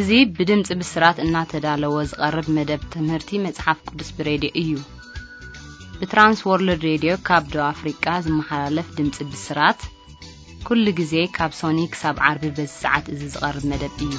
እዚ ብድምፂ ብስራት እናተዳለወ ዝቐርብ መደብ ትምህርቲ መፅሓፍ ቅዱስ ብሬድዮ እዩ። ብትራንስ ወርልድ ሬድዮ ካብ ደቡብ ኣፍሪቃ ዝመሓላለፍ ድምፂ ብስራት ኩሉ ግዜ ካብ ሶኒ ክሳብ ዓርቢ በዚ ሰዓት እዚ ዝቐርብ መደብ እዩ።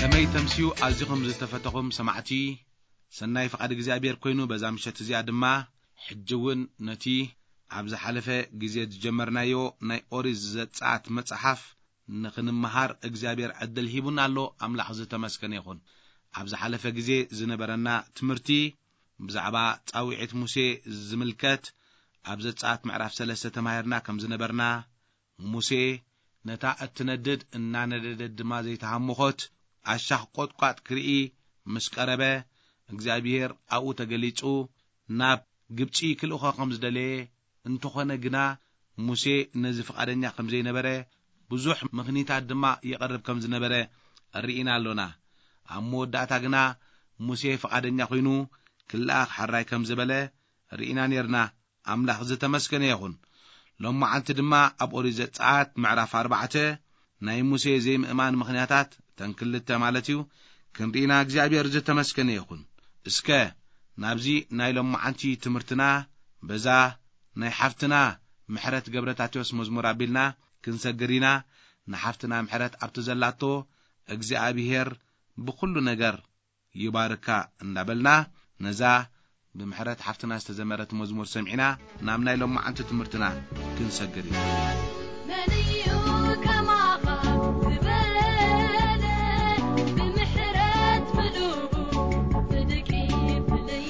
ከመይ ተምስዩ ኣዚኹም ዝተፈተኹም ሰማዕቲ፣ ሰናይ ፍቓድ እግዚኣብሔር ኮይኑ በዛ ምሸት እዚኣ ድማ ሕጂ እውን ነቲ ኣብ ዝሓለፈ ግዜ ዝጀመርናዮ ናይ ኦሪት ዘጸኣት መጽሓፍ ንኽንመሃር እግዚኣብሔር ዕድል ሂቡና ኣሎ። ኣምላኽ ዝተመስገነ ይኹን። ኣብ ዝሓለፈ ግዜ ዝነበረና ትምህርቲ ብዛዕባ ጻውዒት ሙሴ ዝምልከት ኣብ ዘጸኣት ምዕራፍ ሰለስተ ተማሂርና ከም ዝነበርና፣ ሙሴ ነታ እትነድድ እናነደደት ድማ ዘይተሃመኾት ኣሻኽ ቆጥቋጥ ክርኢ ምስ ቀረበ፣ እግዚኣብሔር ኣብኡ ተገሊጹ ናብ ግብጺ ክልእኾ ከም ዝደለየ፣ እንተኾነ ግና ሙሴ ነዚ ፍቓደኛ ከም ዘይነበረ ብዙሕ ምኽኒታት ድማ የቕርብ ከም ዝነበረ ርኢና ኣሎና። ኣብ መወዳእታ ግና ሙሴ ፍቓደኛ ኮይኑ ክለኣኽ ሕራይ ከም ዝበለ ርኢና ኔርና። ኣምላኽ ዝተመስገነ ይኹን። ሎማዓንቲ ድማ ኣብ ኦሪት ዘጸኣት ምዕራፍ ኣርባዕተ ናይ ሙሴ ዘይምእማን ምኽንያታት፣ እተን ክልተ ማለት እዩ፣ ክንርኢና እግዚኣብሔር ዝተመስገነ ይኹን። እስከ ናብዚ ናይ ሎማዓንቲ ትምህርትና በዛ ናይ ሓፍትና ምሕረት ገብረታቴዎስ መዝሙር ኣቢልና ክንሰግር ኢና። ንሓፍትና ምሕረት ኣብቲ ዘላቶ እግዚኣብሔር ብኹሉ ነገር ይባርካ እንዳበልና፣ ነዛ ብምሕረት ሓፍትና ዝተዘመረት መዝሙር ሰሚዕና ናብ ናይ ሎማዓንቲ ትምህርትና ክንሰግር ኢና። መን እዩ ከማኻ ዝበለ ብምሕረት ምሉእ ጽድቂ ፍልይ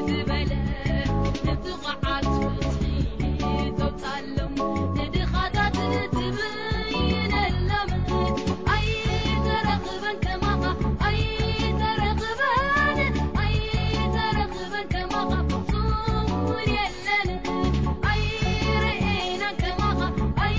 ዝበለ ንጥቑዓት ፍትሒ ተውጻሎም ንድኻታት ትብይነሎም ኣይተረኽበን ከማኻ ኣይተረኽበን ኣይተረኽበን ከማኻ ፍጹም እውን የለን ኣይረኤናን ከማኻ ኣይ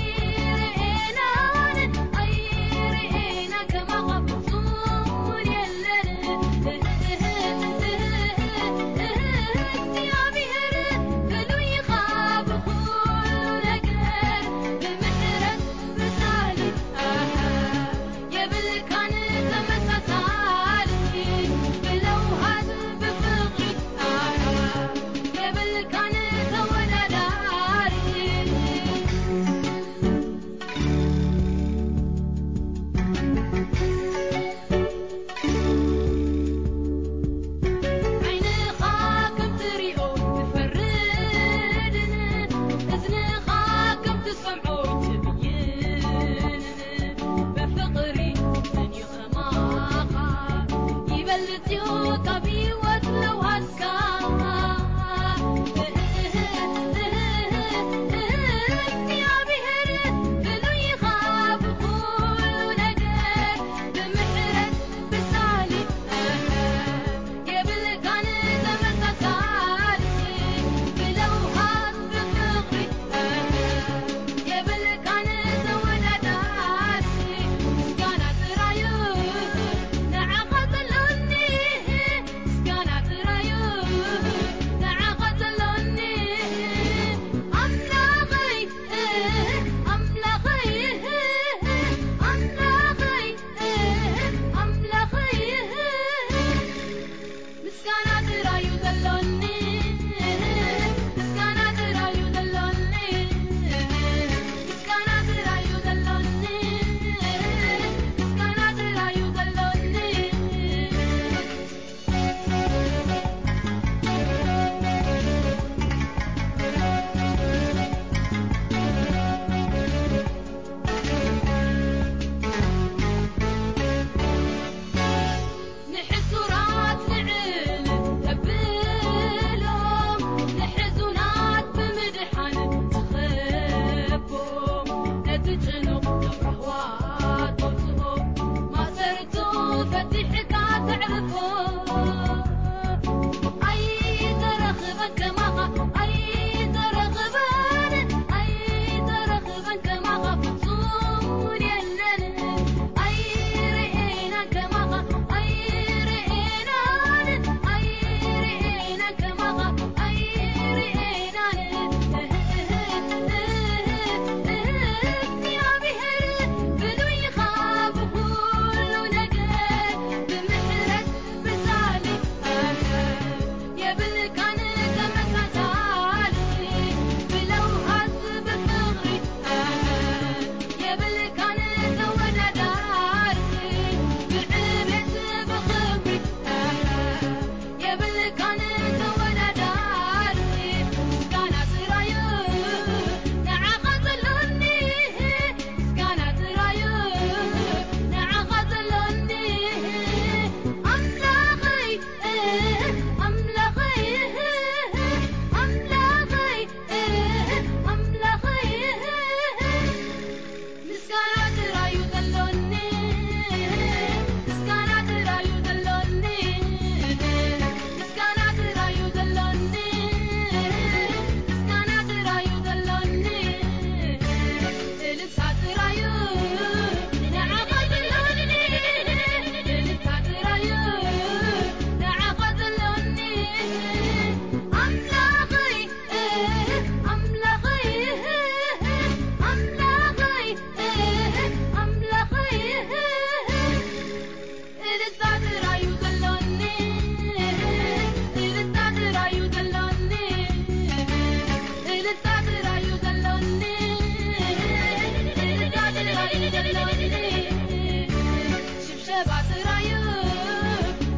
ሽብሸባ ጥራዩ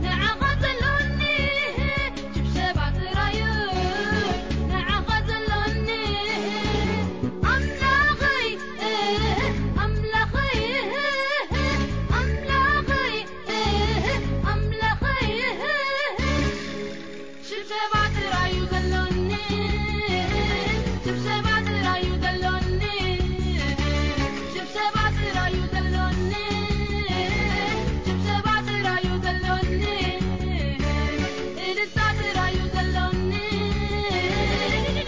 ንዓኻ ዘሎኒ፣ ሽብሸባ ጥራዩ ንዓኻ ዘሎኒ። ኣምላኸይ፣ ኣምላኸይ፣ ኣምላኸይ፣ ኣምላኸይ። ሽብሸባ ጥራዩ ዘሎኒ፣ ሽብሸባ ጥራዩ ዘሎኒ፣ ሽብሸባ ጥራዩ ዘሎኒ፣ ሽብሸባ ጥራዩ ዘሎኒ፣ እልልታ ጥራዩ ዘሎኒ፣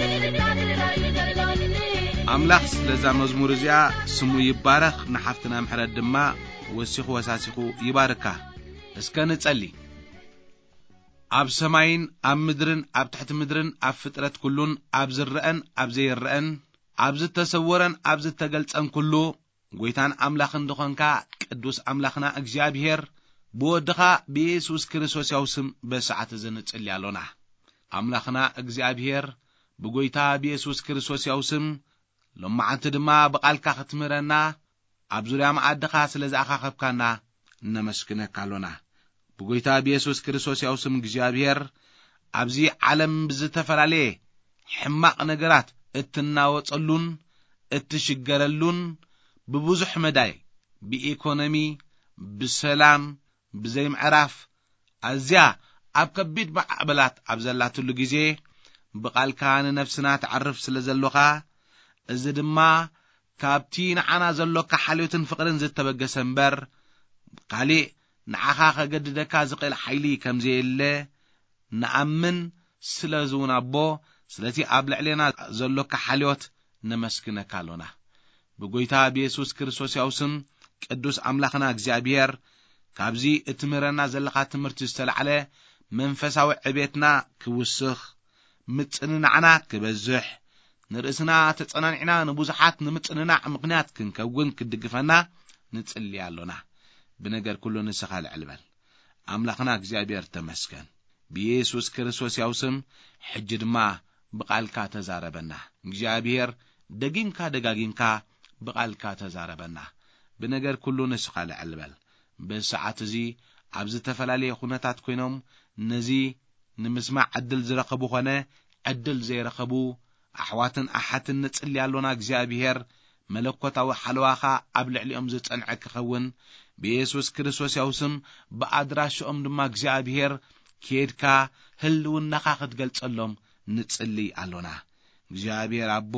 እልልታ ጥራዩ ዘሎኒ። ኣምላኽ ስለዛ መዝሙር እዚኣ ስሙ ይባረኽ፣ ንሓፍትና ምሕረት ድማ ወሲኹ ወሳሲኹ ይባርካ። እስከ ንጸሊ። ኣብ ሰማይን ኣብ ምድርን ኣብ ትሕቲ ምድርን ኣብ ፍጥረት ኩሉን ኣብ ዝረአን ኣብ ዘይረአን ኣብ ዝተሰወረን ኣብ ዝተገልጸን ኩሉ ጎይታን ኣምላኽን ዝኾንካ ቅዱስ ኣምላኽና እግዚኣብሔር ብወድኻ ብየሱስ ክርስቶስ ያው ስም በሰዓት እዚ ንጽሊ ኣሎና። ኣምላኽና እግዚኣብሔር ብጎይታ ብየሱስ ክርስቶስ ያው ስም ሎማዓንቲ ድማ ብቓልካ ክትምህረና ኣብ ዙርያ መኣድኻ ስለ ዝኣኻኸብካና እነመስግነካ ኣሎና። ብጎይታ ብየሱስ ክርስቶስ ያው ስም እግዚኣብሔር ኣብዚ ዓለም ብዝተፈላለየ ሕማቕ ነገራት እትናወጸሉን እትሽገረሉን ብብዙሕ መዳይ ብኢኮኖሚ፣ ብሰላም፣ ብዘይምዕራፍ ኣዝያ ኣብ ከቢድ ማዕበላት ኣብ ዘላትሉ ግዜ ብቓልካ ንነፍስና ተዕርፍ ስለ ዘሎኻ፣ እዚ ድማ ካብቲ ንዓና ዘሎካ ሓልዮትን ፍቕርን ዝተበገሰ እምበር፣ ካሊእ ንዓኻ ከገድደካ ዝኽእል ሓይሊ ከም ዘየለ ንኣምን ስለ ዝውን ኣቦ፣ ስለቲ ኣብ ልዕሌና ዘሎካ ሓልዮት ነመስግነካ ኣሎና። ብጎይታ ብየሱስ ክርስቶስ ያው ስም ቅዱስ ኣምላኽና እግዚኣብሔር፣ ካብዚ እትምህረና ዘለኻ ትምህርቲ ዝተላዕለ መንፈሳዊ ዕቤትና ክውስኽ፣ ምጽንናዕና ክበዝሕ፣ ንርእስና ተጸናኒዕና ንብዙሓት ንምጽንናዕ ምኽንያት ክንከውን ክትድግፈና ንጽሊ ኣሎና። ብነገር ኩሉ ንስኻ ልዕል በል። ኣምላኽና እግዚኣብሔር ተመስገን። ብየሱስ ክርስቶስ ያው ስም ሕጂ ድማ ብቓልካ ተዛረበና። እግዚኣብሔር ደጊምካ ደጋጊምካ ብቓልካ ተዛረበና። ብነገር ኩሉ ንስኻ ልዕል በል። በዚ ሰዓት እዚ ኣብ ዝተፈላለየ ኩነታት ኮይኖም ነዚ ንምስማዕ ዕድል ዝረኸቡ ኾነ ዕድል ዘይረኸቡ ኣሕዋትን ኣሓትን ንጽሊ ኣሎና። እግዚኣብሔር መለኮታዊ ሓለዋኻ ኣብ ልዕሊኦም ዝጸንዐ ክኸውን ብየሱስ ክርስቶስ ያው ስም ብኣድራሽኦም ድማ እግዚኣብሔር ኬድካ ህልውናኻ ክትገልጸሎም ንጽሊ ኣሎና። እግዚኣብሔር ኣቦ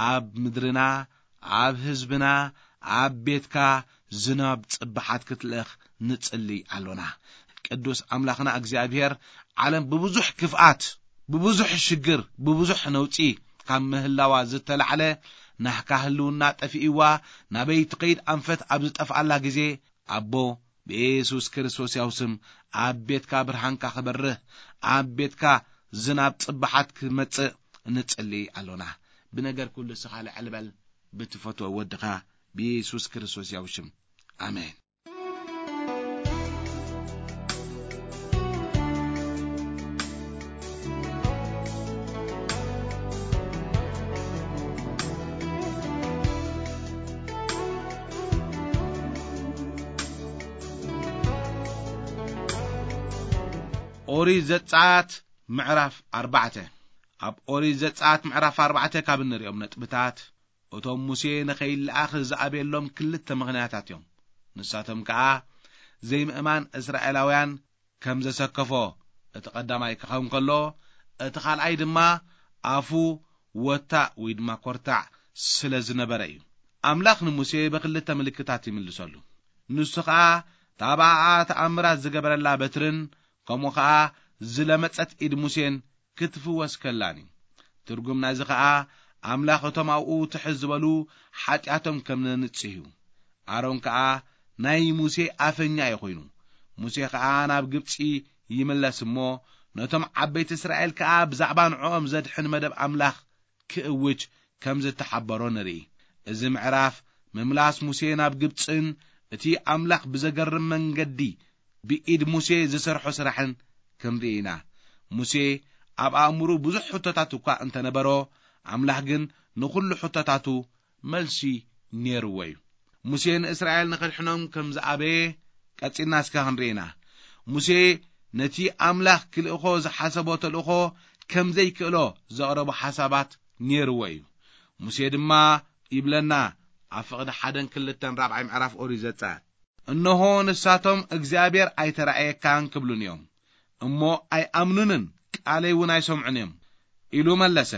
ኣብ ምድርና ኣብ ህዝብና ኣብ ቤትካ ዝናብ ጽባሓት ክትልእኽ ንጽሊ ኣሎና። ቅዱስ ኣምላኽና እግዚኣብሔር ዓለም ብብዙሕ ክፍኣት ብብዙሕ ሽግር ብብዙሕ ነውጺ ካብ ምህላዋ ዝተላዕለ ናህካ ህልውና ጠፊእዋ ናበይ ትኸይድ ኣንፈት ኣብ ዝጠፍኣላ ግዜ ኣቦ ብየሱስ ክርስቶስ ያው ስም ኣብ ቤትካ ብርሃንካ ክበርህ ኣብ ቤትካ ዝናብ ጽባሓት ክመጽእ ንጽሊ ኣሎና። ብነገር ኩሉ ስኻ ልዕል በል ብትፈትዎ ወድኻ ብየሱስ ክርስቶስ ያው ሽም ኣሜን። ኦሪት ዘጸኣት ምዕራፍ ኣርባዕተ። ኣብ ኦሪት ዘጸኣት ምዕራፍ ኣርባዕተ ካብ እንሪኦም ነጥብታት እቶም ሙሴ ንኸይለኣኽ ዝኣበየሎም ክልተ ምኽንያታት እዮም። ንሳቶም ከኣ ዘይምእማን እስራኤላውያን ከም ዘሰከፎ እቲ ቀዳማይ ክኸውን ከሎ፣ እቲ ካልኣይ ድማ ኣፉ ወታእ ወይ ድማ ኮርታዕ ስለ ዝነበረ እዩ። ኣምላኽ ንሙሴ ብክልተ ምልክታት ይምልሰሉ። ንሱ ኸኣ እታ ብኣኣ ተኣምራት ዝገበረላ በትርን ከምኡ ኸኣ ዝለመጸት ኢድ ሙሴን ክትፍወስ ከላን እዩ። ትርጉም ናይዚ ኸኣ ኣምላኽ እቶም ኣብኡ ትሕት ዝበሉ ሓጢኣቶም ከም ዘንጽህ እዩ። ኣሮን ከኣ ናይ ሙሴ ኣፈኛ እዩ ኮይኑ። ሙሴ ኸኣ ናብ ግብጺ ይምለስ እሞ ነቶም ዓበይቲ እስራኤል ከኣ ብዛዕባ ንዕኦም ዘድሕን መደብ ኣምላኽ ክእውጅ ከም ዝተሓበሮ ንርኢ። እዚ ምዕራፍ ምምላስ ሙሴ ናብ ግብጽን እቲ ኣምላኽ ብዘገርም መንገዲ ብኢድ ሙሴ ዝሰርሖ ስራሕን ክንርኢ ኢና። ሙሴ ኣብ ኣእምሩ ብዙሕ ሕቶታት እኳ እንተነበሮ፣ ኣምላኽ ግን ንኹሉ ሕቶታቱ መልሲ ነይርዎ እዩ። ሙሴ ንእስራኤል ንኸድሕኖም ከም ዝኣበየ ቀጺልና እስከ ክንርኢ ኢና። ሙሴ ነቲ ኣምላኽ ክልእኾ ዝሓሰቦ ተልእኾ ከም ዘይክእሎ ዘቕረቦ ሓሳባት ነይርዎ እዩ። ሙሴ ድማ ይብለና፣ ኣብ ፍቕዲ ሓደን ክልተን ራብዓይ ምዕራፍ ኦሪት ዘጸኣት፣ "እንሆ ንሳቶም እግዚኣብሔር ኣይተራእየካን ክብሉን እዮም፣ እሞ ኣይኣምኑንን፣ ቃለይ እውን ኣይሰምዑን እዮም" ኢሉ መለሰ።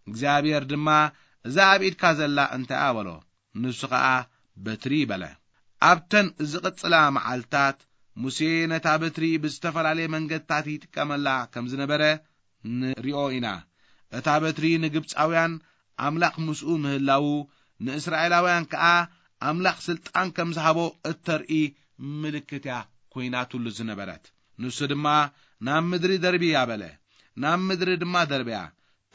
እግዚኣብሔር ድማ፣ "እዛ ኣብ ኢድካ ዘላ እንታይ እያ?" በሎ። ንሱ ኸኣ፣ "በትሪ" በለ። ኣብተን ዝቕጽላ መዓልታት፣ ሙሴ ነታ በትሪ ብዝተፈላለየ መንገድታት ይጥቀመላ ከም ዝነበረ ንሪኦ ኢና። እታ በትሪ ንግብጻውያን ኣምላኽ ምስኡ ምህላዉ፣ ንእስራኤላውያን ከኣ ኣምላኽ ስልጣን ከም ዝሃቦ እተርኢ ምልክት እያ ኮይናትሉ ዝነበረት። ንሱ ድማ፣ "ናብ ምድሪ ደርብያ" በለ። ናብ ምድሪ ድማ ደርብያ፣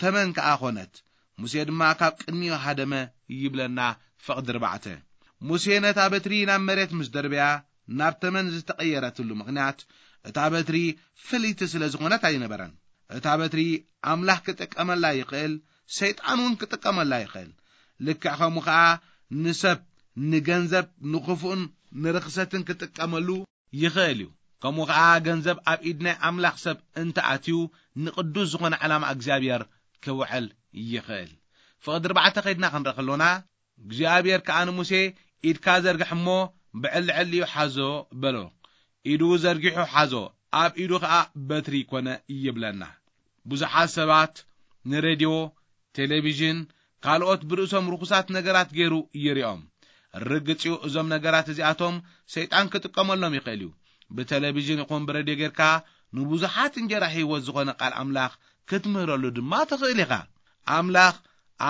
ተመን ከኣ ኾነት። ሙሴ ድማ ካብ ቅድሚኡ ሃደመ ይብለና ፍቕዲ ኣርባዕተ። ሙሴ ነታ በትሪ ናብ መሬት ምስ ደርብያ፣ ናብ ተመን ዝተቐየረትሉ ምኽንያት፣ እታ በትሪ ፍልይቲ ስለ ዝኾነት ኣይነበረን። እታ በትሪ ኣምላኽ ክጥቀመላ ይኽእል፣ ሰይጣን እውን ክጥቀመላ ይኽእል። ልክዕ ከምኡ ኸኣ ንሰብ፣ ንገንዘብ፣ ንኽፉእን ንርኽሰትን ክጥቀመሉ ይኽእል እዩ። ከምኡ ኸኣ ገንዘብ ኣብ ኢድ ናይ ኣምላኽ ሰብ እንተ ኣትዩ፣ ንቕዱስ ዝኾነ ዕላማ እግዚኣብሔር ክውዕል ይኽእል። ፍቕዲ ኣርባዕተ ኸይድና ክንርኢ ከሎና፣ እግዚኣብሔር ከኣ ንሙሴ፣ "ኢድካ ዘርግሕ እሞ ብዕሊ ዕሊኡ ሓዞ" በሎ። ኢዱ ዘርጊሑ ሓዞ፣ ኣብ ኢዱ ኸኣ በትሪ ኮነ ይብለና። ብዙሓት ሰባት ንሬድዮ፣ ቴሌቪዥን፣ ካልኦት ብርእሶም ርኹሳት ነገራት ገይሩ ይሪኦም። ርግጽ እዩ፣ እዞም ነገራት እዚኣቶም ሰይጣን ክጥቀመሎም ይኽእል እዩ። ብቴሌቪዥን ይኹን ብሬድዮ ጌርካ ንብዙሓት እንጀራ ህይወት ዝኾነ ቃል ኣምላኽ ክትምህረሉ ድማ ትኽእል ኢኻ። ኣምላኽ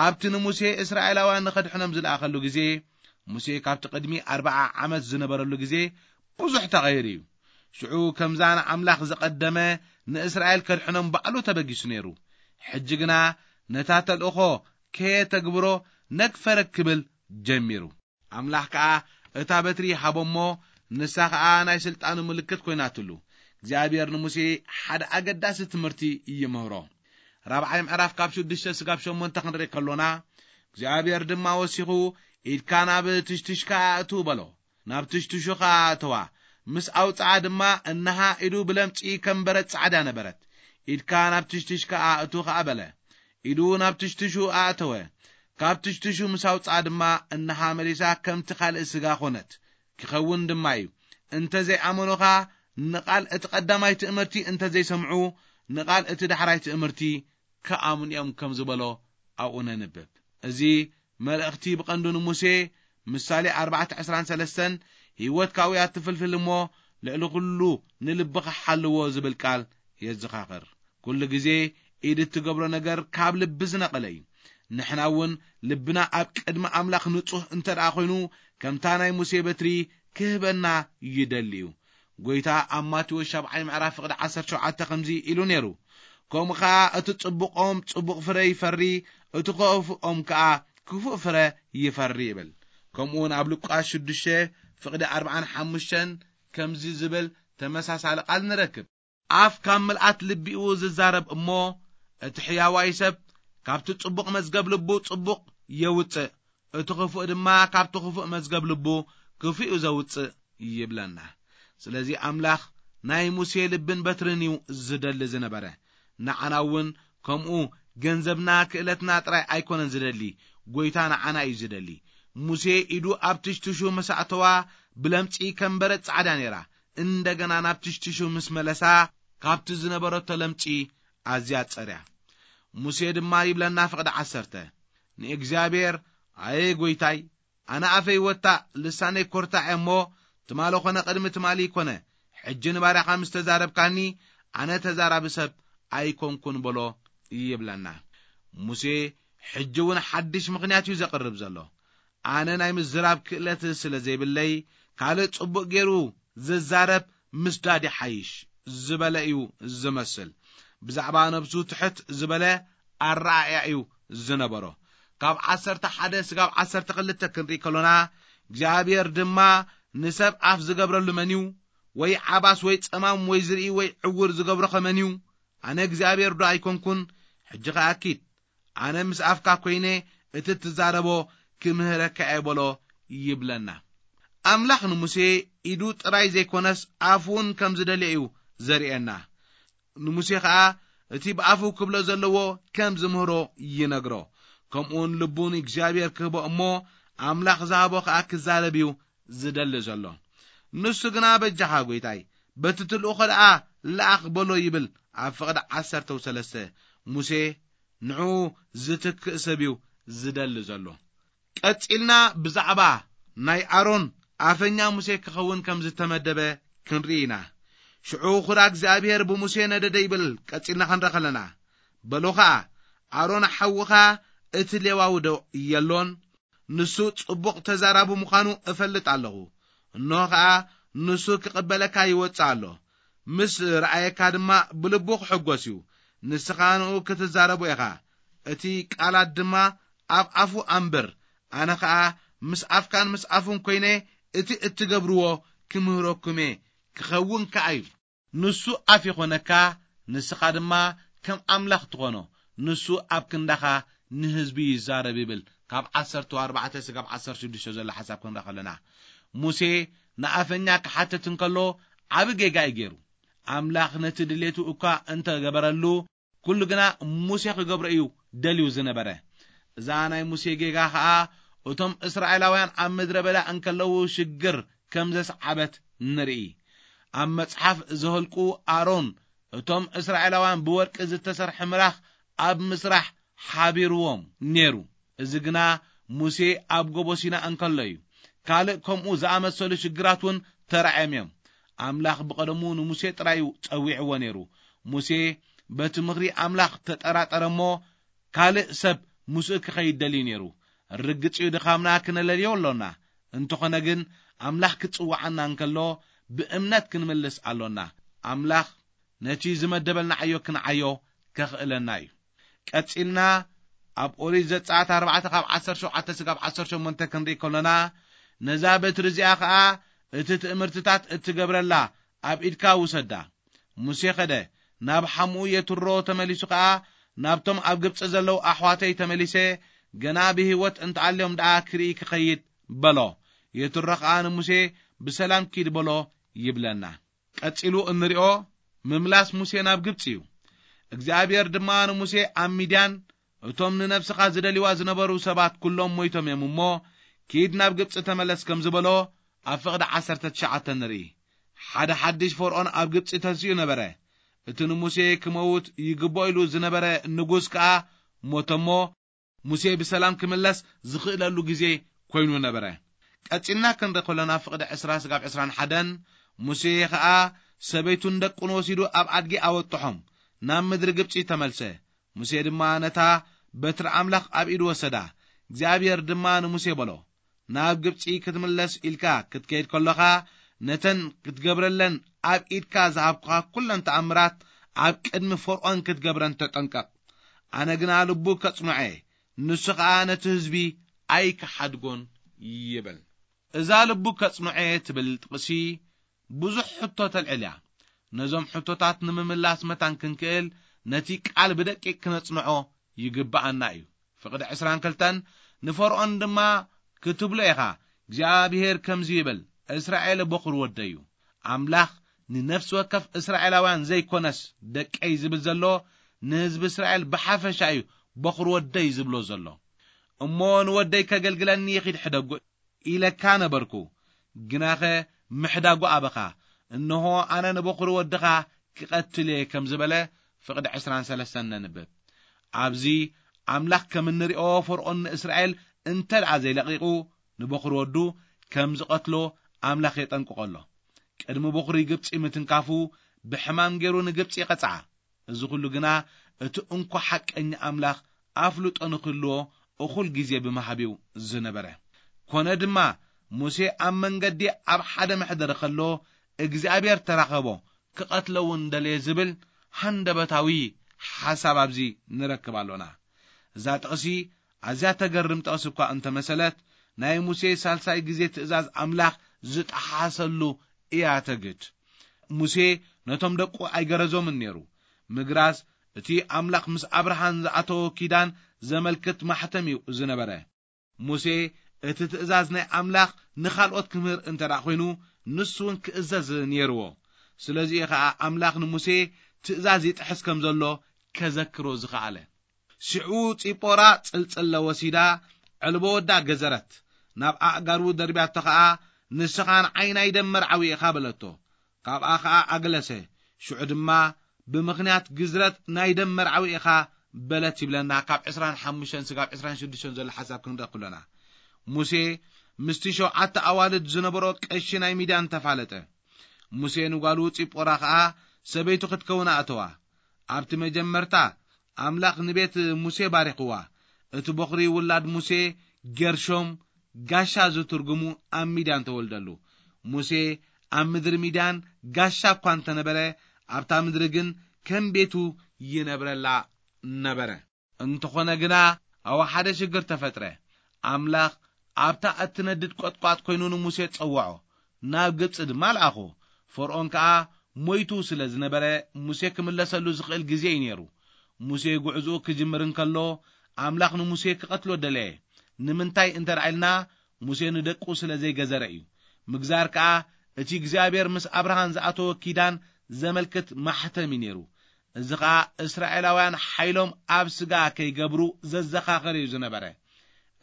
ኣብቲ ንሙሴ እስራኤላውያን ንኸድሕኖም ዝለኣኸሉ ግዜ፣ ሙሴ ካብቲ ቅድሚ ኣርብዓ ዓመት ዝነበረሉ ግዜ ብዙሕ ተቐይሩ እዩ። ሽዑ ከምዛ ንኣምላኽ ዝቐደመ ንእስራኤል ከድሕኖም ባዕሉ ተበጊሱ ነይሩ። ሕጂ ግና ነታ ተልእኾ ከየተግብሮ ነግፈረግ ክብል ጀሚሩ። ኣምላኽ ከኣ እታ በትሪ ሃቦ እሞ፣ ንሳ ኸኣ ናይ ስልጣኑ ምልክት ኮይናትሉ። እግዚኣብሔር ንሙሴ ሓደ ኣገዳሲ ትምህርቲ ይምህሮ። ራብዓይ ምዕራፍ ካብ ሽዱሽተ ስጋብ ሸሞንተ ክንርኢ ከሎና፣ እግዚኣብሔር ድማ ወሲኹ፣ "ኢድካ ናብ ትሽትሽካ ኣእቱ" በሎ። ናብ ትሽትሹ ኸኣ ኣእተዋ። ምስ ኣውጽኣ ድማ፣ እንሃ ኢዱ ብለምጺ ከም በረድ ጻዕዳ ነበረት። "ኢድካ ናብ ትሽትሽካ ኣእቱ" ኸኣ በለ። ኢዱ ናብ ትሽትሹ ኣእተወ። ካብ ትሽትሹ ምስ ኣውጽኣ ድማ፣ እንሃ መሊሳ ከምቲ ካልእ ስጋ ኾነት። ክኸውን ድማ እዩ። እንተ ዘይኣመኑኻ፣ ንቓል እቲ ቀዳማይ ትእምርቲ እንተ ዘይሰምዑ፣ ንቓል እቲ ዳሕራይ ትእምርቲ ክኣምኑ እዮም ከም ዝበሎ ኣብኡ ነንብብ። እዚ መልእኽቲ ብቐንዱ ንሙሴ፣ ምሳሌ ኣርባዕተ ዕስራን ሰለስተን፣ ህይወትካ ውያ ትፍልፍል እሞ፣ ልዕሊ ኩሉ ንልብኻ ሓልዎ ዝብል ቃል የዘኻኽር። ኩሉ ግዜ ኢድ እትገብሮ ነገር ካብ ልቢ ዝነቐለ እዩ። ንሕና እውን ልብና ኣብ ቅድሚ ኣምላኽ ንጹህ እንተ ደኣ ኾይኑ፣ ከምታ ናይ ሙሴ በትሪ ክህበና ይደሊ እዩ። ጐይታ ኣብ ማቴዎስ ሻብዓይ ምዕራፍ ፍቕዲ ዓሰርተ ሸውዓተ ከምዚ ኢሉ ነይሩ፣ "ከምኡ ኸኣ እቲ ጽቡቕ ኦም ጽቡቕ ፍረ ይፈሪ፣ እቲ ኽፉእ ኦም ከኣ ክፉእ ፍረ ይፈሪ" ይብል። ከምኡ እውን ኣብ ሉቃስ ሽዱሽተ ፍቕዲ ኣርብዓን ሓሙሽተን ከምዚ ዝብል ተመሳሳሊ ቃል ንረክብ። "ኣፍ ካብ ምልኣት ልቢኡ ዝዛረብ እሞ፣ እቲ ሕያዋይ ሰብ ካብቲ ጽቡቕ መዝገብ ልቡ ጽቡቕ የውጽእ፣ እቲ ኽፉእ ድማ ካብቲ ኽፉእ መዝገብ ልቡ ክፉእ ዘውጽእ" ይብለና። ስለዚ ኣምላኽ ናይ ሙሴ ልብን በትርን እዩ ዝደሊ ዝነበረ። ንዓና እውን ከምኡ ገንዘብና ክእለትና ጥራይ ኣይኮነን ዝደሊ፣ ጐይታ ንዓና እዩ ዝደሊ። ሙሴ ኢዱ ኣብ ትሽትሹ ምስ ኣእተዋ ብለምጺ ከም በረድ ጻዕዳ ነይራ። እንደገና ናብ ትሽትሹ ምስ መለሳ ካብቲ ዝነበረቶ ለምጺ ኣዝያ ጸርያ። ሙሴ ድማ ይብለና ፍቕዲ ዓሰርተ፣ ንእግዚኣብሔር፣ "ኣየ ጐይታይ፣ ኣነ ኣፈይ ወታእ ልሳነይ ኰርታዕ እየ እሞ፣ ትማሊ ኾነ ቅድሚ ትማሊ ይኮነ፣ ሕጂ ንባርያኻ ምስ ተዛረብካኒ፣ ኣነ ተዛራቢ ሰብ ኣይኮንኩን" በሎ ይብለና። ሙሴ ሕጂ እውን ሓድሽ ምኽንያት እዩ ዘቕርብ ዘሎ። "ኣነ ናይ ምዝራብ ክእለት ስለ ዘይብለይ፣ ካልእ ጽቡቕ ገይሩ ዝዛረብ ምስዳድ ይሓይሽ" ዝበለ እዩ ዝመስል። ብዛዕባ ነብሱ ትሕት ዝበለ ኣረኣእያ እዩ ዝነበሮ። ካብ ዓሰርተ ሓደ ስጋብ ዓሰርተ ክልተ ክንርኢ ከሎና፣ እግዚኣብሔር ድማ፣ "ንሰብ ኣፍ ዝገብረሉ መን እዩ? ወይ ዓባስ ወይ ጸማም ወይ ዝርኢ ወይ ዕውር ዝገብሮ ኸ መን እዩ? ኣነ እግዚኣብሔር ዶ ኣይኮንኩን? ሕጂ ኸኣ ኪድ፣ ኣነ ምስ ኣፍካ ኰይነ እቲ እትዛረቦ ክምህረካ እየ" በሎ ይብለና። ኣምላኽ ንሙሴ ኢዱ ጥራይ ዘይኮነስ ኣፉ እውን ከም ዝደልዮ እዩ ዘርእየና። ንሙሴ ኸኣ እቲ ብኣፉ ክብሎ ዘለዎ ከም ዝምህሮ ይነግሮ። ከምኡውን ልቡ ንእግዚኣብሔር ክህቦ እሞ ኣምላኽ ዝሃቦ ኸኣ ክዛረብ እዩ ዝደሊ ዘሎ። ንሱ ግና በጃኻ ጐይታይ፣ በቲ ትልእኾ ደኣ ለኣኽ በሎ ይብል። ኣብ ፍቕዲ ዓሰርተ ሰለስተ ሙሴ ንዕኡ ዝትክእ ሰብ እዩ ዝደሊ ዘሎ። ቀጺልና ብዛዕባ ናይ ኣሮን ኣፈኛ ሙሴ ክኸውን ከም ዝተመደበ ክንርኢ ኢና። ሽዑ ኹራ እግዚኣብሔር ብሙሴ ነደደ ይብል ቀጺልና ክንረ ከለና፣ በሎ ኸኣ፣ ኣሮን ሓውኻ እቲ ሌዋዊ ዶ የሎን? ንሱ ጽቡቕ ተዛራቢ ምዃኑ እፈልጥ ኣለኹ። እንሆ ኸኣ ንሱ ክቕበለካ ይወጽእ ኣሎ። ምስ ረኣየካ ድማ ብልቡ ክሕጎስ እዩ። ንስኻ ንኡ ክትዛረቦ ኢኻ። እቲ ቃላት ድማ ኣብ ኣፉ ኣንብር። ኣነ ኸኣ ምስ ኣፍካን ምስ ኣፉን ኮይነ እቲ እትገብርዎ ክምህረኩም እየ። ክኸውን ከኣ እዩ። ንሱ ኣፍ ይኾነካ፣ ንስኻ ድማ ከም ኣምላኽ ትኾኖ። ንሱ ኣብ ክንዳኻ ንህዝቢ ይዛረብ ይብል። ካብ ዓሰርተ ኣርባዕተ ስጋብ ዓሰርተ ሽዱሽተ ዘሎ ሓሳብ ክንርኢ ከለና፣ ሙሴ ንኣፈኛ ክሓትት እንከሎ ዓቢ ጌጋ እዩ ገይሩ። ኣምላኽ ነቲ ድሌቱ እኳ እንተ ገበረሉ፣ ኩሉ ግና ሙሴ ክገብሮ እዩ ደልዩ ዝነበረ። እዛ ናይ ሙሴ ጌጋ ኸኣ እቶም እስራኤላውያን ኣብ ምድረ በዳ እንከለዉ ሽግር ከም ዘስዓበት ንርኢ። ኣብ መጽሓፍ ዘኍልቁ ኣሮን እቶም እስራኤላውያን ብወርቂ ዝተሰርሐ ምራኽ ኣብ ምስራሕ ሓቢርዎም ነይሩ። እዚ ግና ሙሴ ኣብ ጎቦ ሲና እንከሎ እዩ። ካልእ ከምኡ ዝኣመሰሉ ሽግራት እውን ተራእዮም እዮም። ኣምላኽ ብቐደሙ ንሙሴ ጥራይ እዩ ጸዊዕዎ ነይሩ። ሙሴ በቲ ምኽሪ ኣምላኽ ተጠራጠረ እሞ ካልእ ሰብ ምስኡ ክኸይድ ደልዩ ነይሩ። ርግጽ እዩ ድኻምና ክነለልዮ ኣሎና። እንተኾነ ግን ኣምላኽ ክጽውዓና እንከሎ ብእምነት ክንምልስ ኣሎና። ኣምላኽ ነቲ ዝመደበልና ዓዮ ክንዓዮ ከኽእለና እዩ። ቀጺልና ኣብ ኦሪት ዘጸኣት ኣርባዕተ ካብ ዓሰርተ ሸውዓተ ስጋብ ዓሰርተ ሸሞንተ ክንርኢ ከሎና፣ ነዛ በትሪ እዚኣ ኸኣ እቲ ትእምርትታት እትገብረላ ኣብ ኢድካ ውሰዳ። ሙሴ ኸደ፣ ናብ ሓምኡ የትሮ ተመሊሱ ኸኣ፣ ናብቶም ኣብ ግብጺ ዘለዉ ኣሕዋተይ ተመሊሰ፣ ገና ብህይወት እንተኣልዮም ደኣ ክርኢ ክኸይድ በሎ። የትሮ ኸኣ ንሙሴ ብሰላም ኪድ በሎ ይብለና። ቀጺሉ እንሪኦ ምምላስ ሙሴ ናብ ግብጺ እዩ። እግዚኣብሔር ድማ ንሙሴ ኣብ ሚድያን እቶም ንነብስኻ ዝደልዋ ዝነበሩ ሰባት ኩሎም ሞይቶም እዮም እሞ፣ ኪድ ናብ ግብጺ ተመለስ ከም ዝበሎ ኣብ ፍቕዲ ዓሰርተ ትሽዓተ ንርኢ። ሓደ ሓድሽ ፈርዖን ኣብ ግብጺ ተንሲኡ ነበረ። እቲ ንሙሴ ክመውት ይግብኦ ኢሉ ዝነበረ ንጉስ ከኣ ሞተ እሞ፣ ሙሴ ብሰላም ክምለስ ዝኽእለሉ ግዜ ኮይኑ ነበረ። ቀጺልና ክንርኢ ከሎና ፍቕዲ ዕስራ ስጋብ ዕስራን ሓደን፣ ሙሴ ኸኣ ሰበይቱን ደቁን ወሲዱ ኣብ ኣድጊ ኣወጥሖም፣ ናብ ምድሪ ግብጺ ተመልሰ። ሙሴ ድማ ነታ በትሪ ኣምላኽ ኣብ ኢዱ ወሰዳ። እግዚኣብሔር ድማ ንሙሴ በሎ፣ ናብ ግብጺ ክትምለስ ኢልካ ክትከይድ ከሎኻ፣ ነተን ክትገብረለን ኣብ ኢድካ ዝሃብኩኻ ኩለን ተኣምራት ኣብ ቅድሚ ፈርዖን ክትገብረን ተጠንቀቕ። ኣነ ግና ልቡ ከጽንዖ እየ፣ ንሱ ኸኣ ነቲ ህዝቢ ኣይክሓድጎን ይብል። እዛ ልቡ ከጽንዖ እየ ትብል ጥቕሲ ብዙሕ ሕቶ ተልዕል እያ። ነዞም ሕቶታት ንምምላስ መታን ክንክእል፣ ነቲ ቃል ብደቂቕ ክነጽንዖ ይግብኣና እዩ። ፍቕዲ ዕስራን ክልተን፣ ንፈርዖን ድማ ክትብሎ ኢኻ፣ እግዚኣብሄር ከምዚ ይብል፣ እስራኤል በኹር ወደይ እዩ። ኣምላኽ ንነፍሲ ወከፍ እስራኤላውያን ዘይኮነስ ደቀይ ዝብል ዘሎ፣ ንህዝቢ እስራኤል ብሓፈሻ እዩ በኹር ወደይ ዝብሎ ዘሎ። እሞ ንወደይ ከገልግለኒ ይኺድ ሕደጎ ኢለካ ነበርኩ፣ ግናኸ ምሕዳጉ ኣበኻ። እንሆ ኣነ ንበኹሪ ወድኻ ክቐትል እየ ከም ዝበለ ፍቕዲ ዕስራን ሰለስተን ነንብብ። ኣብዚ ኣምላኽ ከም እንሪኦ ፈርዖን ንእስራኤል እንተ ደኣ ዘይለቒቑ ንበኹሪ ወዱ ከም ዝቐትሎ ኣምላኽ የጠንቅቖ ኣሎ። ቅድሚ በኹሪ ግብጺ ምትንካፉ ብሕማም ገይሩ ንግብጺ ይቐጽዓ። እዚ ኹሉ ግና እቲ እንኮ ሓቀኛ ኣምላኽ ኣፍልጦ ንኽህልዎ እኹል ግዜ ብምሃብ እዩ ዝነበረ። ኮነ ድማ ሙሴ ኣብ መንገዲ ኣብ ሓደ መሕደሪ ከሎ እግዚኣብሔር ተራኸቦ፣ ክቐትሎ እውን ደለየ ዝብል ሃንደበታዊ ሓሳብ ኣብዚ ንረክብ ኣሎና። እዛ ጥቕሲ ኣዝያ ተገርም ጥቕሲ እኳ እንተመሰለት፣ ናይ ሙሴ ሳልሳይ ግዜ ትእዛዝ ኣምላኽ ዝጠሓሰሉ እያ ተግድ። ሙሴ ነቶም ደቁ ኣይገረዞምን ነይሩ። ምግራዝ እቲ ኣምላኽ ምስ ኣብርሃም ዝኣተዎ ኪዳን ዘመልክት ማሕተም እዩ ዝነበረ። ሙሴ እቲ ትእዛዝ ናይ ኣምላኽ ንኻልኦት ክምህር እንተ ደኣ ኾይኑ፣ ንሱ እውን ክእዘዝ ነይርዎ። ስለዚ እዩ ኸኣ ኣምላኽ ንሙሴ ትእዛዝ ይጥሕስ ከም ዘሎ ከዘክሮ ዝኸኣለ። ሽዑ ጺጶራ ጽልጽለ ወሲዳ፣ ዕልቦ ወዳ ገዘረት። ናብ ኣእጋሩ ደርብያቶ ኸኣ፣ "ንስኻ ንዓይ ናይ ደም መርዓዊ ኢኻ" በለቶ። ካብኣ ኸኣ ኣግለሰ። ሽዑ ድማ፣ "ብምኽንያት ግዝረት ናይ ደም መርዓዊ ኢኻ" በለት ይብለና። ካብ ዕስራን ሓሙሽተን ስጋብ ዕስራን ሽዱሽተን ዘሎ ሓሳብ ክንርኢ ከሎና፣ ሙሴ ምስቲ ሸውዓተ ኣዋልድ ዝነበሮ ቀሺ ናይ ሚድያን ተፋለጠ። ሙሴ ንጓሉ ጺጶራ ኸኣ ሰበይቱ ክትከውን ኣእተዋ። ኣብቲ መጀመርታ ኣምላኽ ንቤት ሙሴ ባሪኽዋ። እቲ በኹሪ ውላድ ሙሴ ጌርሾም፣ ጋሻ ዝትርጉሙ፣ ኣብ ሚድያን ተወልደሉ። ሙሴ ኣብ ምድሪ ሚድያን ጋሻ እኳ እንተነበረ፣ ኣብታ ምድሪ ግን ከም ቤቱ ይነብረላ ነበረ። እንተኾነ ግና፣ ኣብኡ ሓደ ሽግር ተፈጥረ። ኣምላኽ ኣብታ እትነድድ ቈጥቋጥ ኰይኑ ንሙሴ ጸውዖ፣ ናብ ግብጺ ድማ ለኣኾ። ፈርኦን ከኣ ሞይቱ ስለ ዝነበረ፣ ሙሴ ክምለሰሉ ዝኽእል ግዜ እዩ ነይሩ። ሙሴ ጉዕዞኡ ክጅምር እንከሎ፣ ኣምላኽ ንሙሴ ክቐትሎ ደለየ። ንምንታይ እንተ ደኣ ኢልና፣ ሙሴ ንደቁ ስለ ዘይገዘረ እዩ። ምግዛር ከኣ እቲ እግዚኣብሔር ምስ ኣብርሃም ዝኣተወ ኪዳን ዘመልክት ማሕተም እዩ ነይሩ። እዚ ኸኣ እስራኤላውያን ሓይሎም ኣብ ስጋ ከይገብሩ ዘዘኻኸር እዩ ዝነበረ።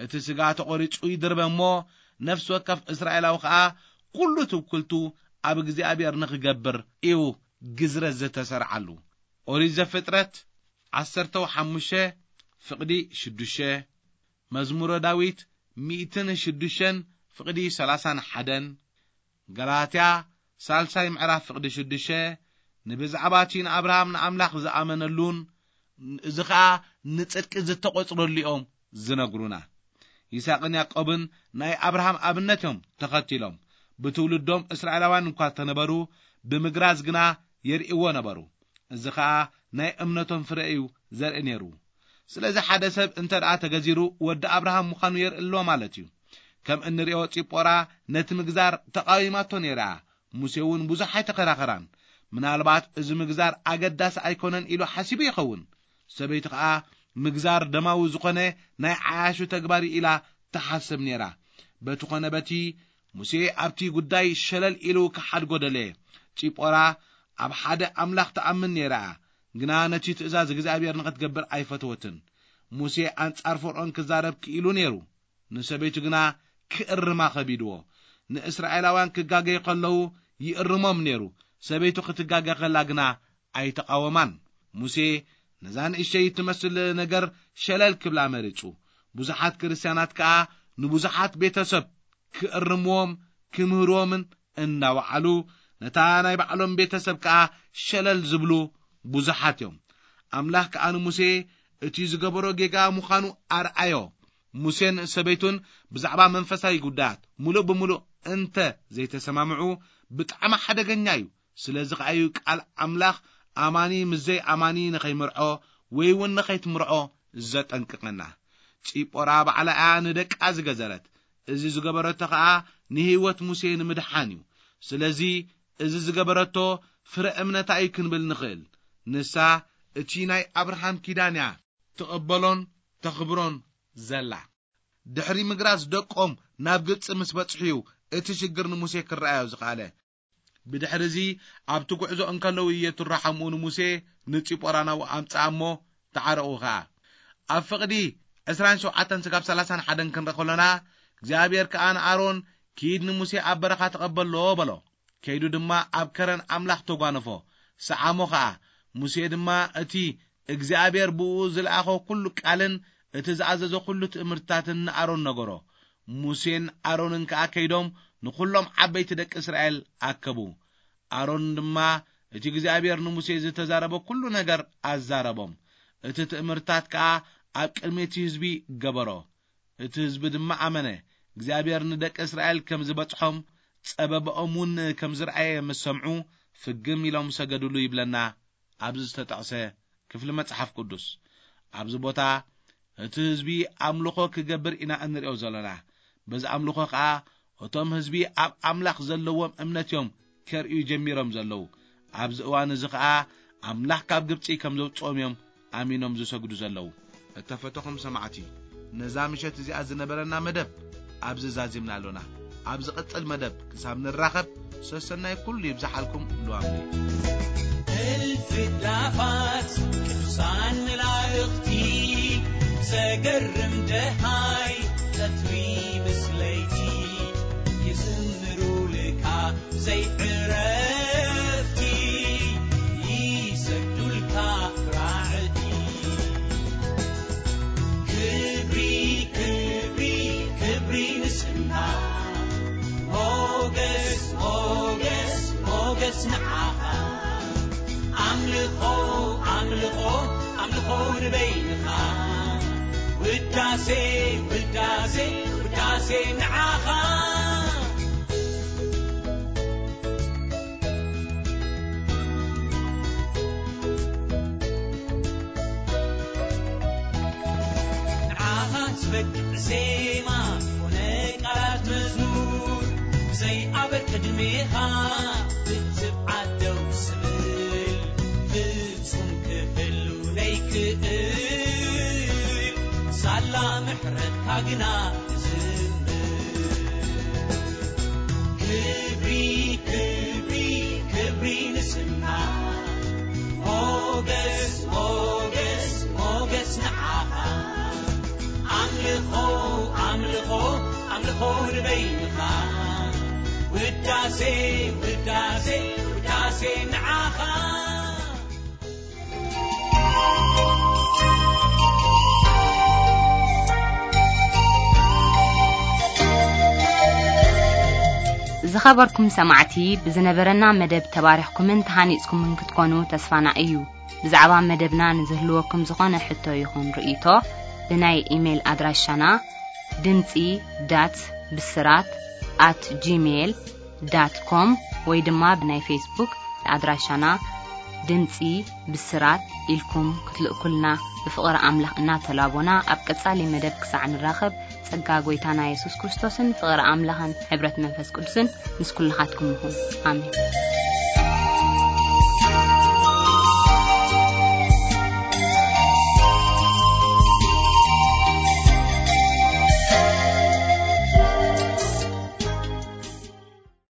እቲ ስጋ ተቖሪጹ ይድርበ እሞ፣ ነፍሲ ወከፍ እስራኤላዊ ኸኣ ኩሉ ትውክልቱ ኣብ እግዚኣብሔር ንኽገብር እዩ ግዝረት ዝተሰርዓሉ። ኦሪት ዘፍጥረት ዓሰርተ ሓሙሽተ ፍቕዲ ሽዱሽተ፣ መዝሙረ ዳዊት ሚእትን ሽዱሽተን ፍቕዲ ሰላሳን ሓደን፣ ገላትያ ሳልሳይ ምዕራፍ ፍቕዲ ሽዱሽተ፣ ንብዛዕባ እቲ ንኣብርሃም ንኣምላኽ ዝኣመነሉን እዚ ኸኣ ንጽድቂ ዝተቖጽረሉ እዮም ዝነግሩና። ይስሐቅን ያዕቆብን ናይ ኣብርሃም ኣብነት እዮም ተኸቲሎም። ብትውልዶም እስራኤላውያን እኳ ተነበሩ፣ ብምግራዝ ግና የርእይዎ ነበሩ። እዚ ኸኣ ናይ እምነቶም ፍረ እዩ ዘርኢ ነይሩ። ስለዚ ሓደ ሰብ እንተ ደኣ ተገዚሩ፣ ወዲ ኣብርሃም ምዃኑ የርኢ ኣሎ ማለት እዩ። ከም እንርእዮ፣ ጺጶራ ነቲ ምግዛር ተቓዊማቶ ነይራ። ሙሴ እውን ብዙሕ ኣይተኸራኸራን። ምናልባት እዚ ምግዛር ኣገዳሲ ኣይኮነን ኢሉ ሓሲቡ ይኸውን። ሰበይቲ ኸኣ ምግዛር ደማዊ ዝኾነ ናይ ዓያሹ ተግባር እዩ ኢላ ትሓስብ ነይራ። በቲ ኾነ በቲ፣ ሙሴ ኣብቲ ጉዳይ ሸለል ኢሉ ክሓድጎ ደለየ። ጺጶራ ኣብ ሓደ ኣምላኽ ትኣምን ነይራ እያ፣ ግና ነቲ ትእዛዝ እግዚኣብሔር ንኽትገብር ኣይፈተወትን። ሙሴ ኣንጻር ፈርኦን ክዛረብ ክኢሉ ነይሩ፣ ንሰበይቱ ግና ክእርማ ኸቢድዎ። ንእስራኤላውያን ክጋገዩ ኸለዉ ይእርሞም ነይሩ፣ ሰበይቱ ክትጋገ ኸላ ግና ኣይተቓወማን። ሙሴ ነዛ ንእሽተይ እትመስል ነገር ሸለል ክብላ መሪጹ። ብዙሓት ክርስትያናት ከኣ ንብዙሓት ቤተሰብ ክእርምዎም ክምህርዎምን እናወዓሉ፣ ነታ ናይ ባዕሎም ቤተሰብ ከኣ ሸለል ዝብሉ ብዙሓት እዮም። ኣምላኽ ከኣ ንሙሴ እቲ ዝገበሮ ጌጋ ምዃኑ ኣርኣዮ። ሙሴን ሰበይቱን ብዛዕባ መንፈሳዊ ጉዳያት ምሉእ ብምሉእ እንተ ዘይተሰማምዑ፣ ብጣዕሚ ሓደገኛ እዩ። ስለዚ ኸኣ እዩ ቃል ኣምላኽ ኣማኒ ምስ ዘይኣማኒ ንኸይምርዖ ወይ እውን ንኸይትምርዖ ዘጠንቅቐና። ጺጶራ ባዕላ እያ ንደቃ ዝገዘረት። እዚ ዝገበረቶ ኸኣ ንህይወት ሙሴ ንምድሓን እዩ። ስለዚ እዚ ዝገበረቶ ፍረ እምነታ እዩ ክንብል ንኽእል። ንሳ እቲ ናይ ኣብርሃም ኪዳን እያ ትቕበሎን ተኽብሮን ዘላ። ድሕሪ ምግራዝ ደቆም ናብ ግብጺ ምስ በጽሑ እዩ እቲ ሽግር ንሙሴ ክረኣዮ ዝኸኣለ። ብድሕሪ እዚ ኣብቲ ጉዕዞ እንከለዉ የትሮ ሓምኡ ንሙሴ ንጺጶራ ናብኡ ኣምጽኣ እሞ ተዓረቑ ኸኣ። ኣብ ፍቕዲ ዕስራን ሸውዓተን ስጋብ ሰላሳን ሓደን ክንርኢ ከሎና፣ እግዚኣብሔር ከኣ ንኣሮን፣ "ኪድ ንሙሴ ኣብ በረኻ ተቐበሎ" በሎ። ከይዱ ድማ ኣብ ከረን ኣምላኽ ተጓነፎ፣ ሰዓሞ ኸኣ። ሙሴ ድማ እቲ እግዚኣብሔር ብእኡ ዝለኣኾ ኩሉ ቃልን እቲ ዝኣዘዞ ኩሉ ትእምርትታትን ንኣሮን ነገሮ። ሙሴን ኣሮንን ከኣ ከይዶም ንኹሎም ዓበይቲ ደቂ እስራኤል ኣከቡ። ኣሮን ድማ እቲ እግዚኣብሔር ንሙሴ ዝተዛረቦ ኩሉ ነገር ኣዛረቦም። እቲ ትእምርታት ከኣ ኣብ ቅድሚ እቲ ህዝቢ ገበሮ። እቲ ህዝቢ ድማ ኣመነ። እግዚኣብሔር ንደቂ እስራኤል ከም ዝበጽሖም፣ ጸበባኦም እውን ከም ዝረኣየ ምስ ሰምዑ፣ ፍግም ኢሎም ሰገዱሉ ይብለና ኣብዚ ዝተጠቕሰ ክፍሊ መጽሓፍ ቅዱስ። ኣብዚ ቦታ እቲ ህዝቢ ኣምልኾ ክገብር ኢና እንርእዮ ዘለና። በዚ ኣምልኾ ኸኣ እቶም ህዝቢ ኣብ ኣምላኽ ዘለዎም እምነት እዮም ከርእዩ ጀሚሮም ዘለዉ። ኣብዚ እዋን እዚ ኸኣ ኣምላኽ ካብ ግብጺ ከም ዘውጽኦም እዮም ኣሚኖም ዝሰግዱ ዘለዉ። እተፈተኹም ሰማዕቲ፣ ነዛ ምሸት እዚኣ ዝነበረና መደብ ኣብዚ ዛዚምና ኣሎና። ኣብ ዝቕጽል መደብ ክሳብ ንራኸብ፣ ሰሰናይ ኩሉ ይብዝሓልኩም። ልዋም እልፍዳፋት ቅዱሳን መላእኽቲ፣ ዘገርም ደሃይ ጸትሪ ምስ ለይቲ፣ ይዝምሩልካ ዘይዕረፍቲ፣ ይሰግዱልካ ራዕዲ። ክብሪ፣ ክብሪ፣ ክብሪ ንስምካ። ሞገስ፣ ሞገስ፣ ሞገስ ንዓኻ። ኣምልኾ፣ ኣምልኾ፣ ኣምልኾ ንበይንኻ። ውዳሴ፣ ውዳሴ፣ ውዳሴ ንዓኻ። ንዓኻ ዝበቅዕ ዜማ ኮነ ቃላት መዝሙር፣ ብዘይ ኣበር ቅድሜኻ ብትብዓት ደው ዝብል፣ ፍጹም ክህሉ ነይክእል፣ ሳላ ምሕረትካ ግና ክብሪ፣ ክብሪ፣ ክብሪ ንስምካ። ሞገስ፣ ሞገስ፣ ሞገስ ንዓኻ። ኣምልኾ፣ ኣምልኾ፣ ኣምልኾ ንበይንኻ። ውዳሴ፣ ውዳሴ፣ ውዳሴ ንዓኻ። ዝኸበርኩም ሰማዕቲ፣ ብዝነበረና መደብ ተባሪኽኩምን ተሃኒጽኩምን ክትኮኑ ተስፋና እዩ። ብዛዕባ መደብና ንዝህልወኩም ዝኾነ ሕቶ ይኹን ርእይቶ፣ ብናይ ኢሜይል ኣድራሻና ድምጺ ዳት ብስራት ኣት ጂሜይል ዳት ኮም ወይ ድማ ብናይ ፌስቡክ ኣድራሻና ድምጺ ብስራት ኢልኩም ክትልእኩልና ብፍቕሪ ኣምላኽ እናተላቦና፣ ኣብ ቀጻሊ መደብ ክሳዕ ንራኸብ፣ ጸጋ ጐይታና የሱስ ክርስቶስን ፍቕሪ ኣምላኽን ሕብረት መንፈስ ቅዱስን ምስ ኩልኻትኩም ይኹን። ኣሜን።